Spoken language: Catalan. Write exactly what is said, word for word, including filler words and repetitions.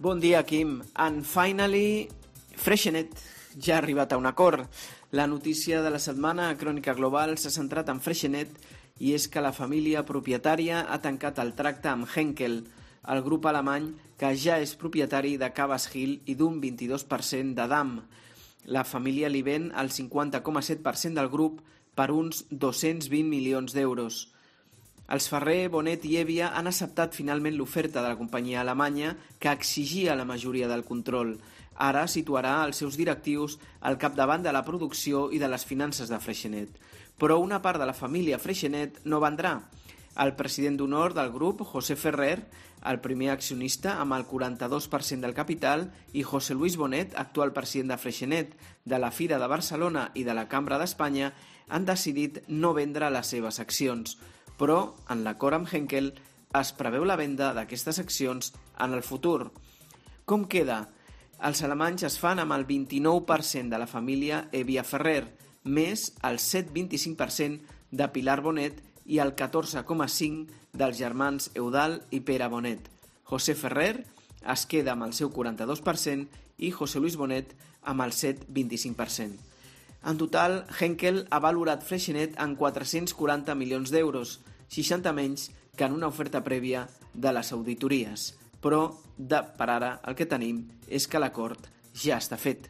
Bon dia, Quim. And finally, Freixenet ja ha arribat a un acord. La notícia de la setmana a Crònica Global s'ha centrat en Freixenet i és que la família propietària ha tancat el tracte amb Henkel, el grup alemany que ja és propietari de Cabas Hill i d'un vint-i-dos per cent de D A M. La família li ven el cinquanta coma set per cent del grup per uns dos-cents vint milions d'euros. Els Ferrer, Bonet i Hevia han acceptat finalment l'oferta de la companyia alemanya que exigia la majoria del control. Ara situarà els seus directius al capdavant de la producció i de les finances de Freixenet. Però una part de la família Freixenet no vendrà. El president d'honor del grup, José Ferrer, el primer accionista amb el quaranta-dos per cent del capital, i José Luis Bonet, actual president de Freixenet, de la Fira de Barcelona i de la Cambra d'Espanya, han decidit no vendre les seves accions. Però, en l'acord amb Henkel, es preveu la venda d'aquestes accions en el futur. Com queda? Els alemanys es fan amb el vint-i-nou per cent de la família Hevia Ferrer, més el set coma vint-i-cinc per cent de Pilar Bonet i el catorze coma cinc per cent dels germans Eudald i Pere Bonet. José Ferrer es queda amb el seu quaranta-dos per cent i José Luis Bonet amb el set coma vint-i-cinc per cent. En total, Henkel ha valorat Freixenet en quatre-cents quaranta milions d'euros, seixanta menys que en una oferta prèvia de les auditories. Però, de, per ara, el que tenim és que l'acord ja està fet.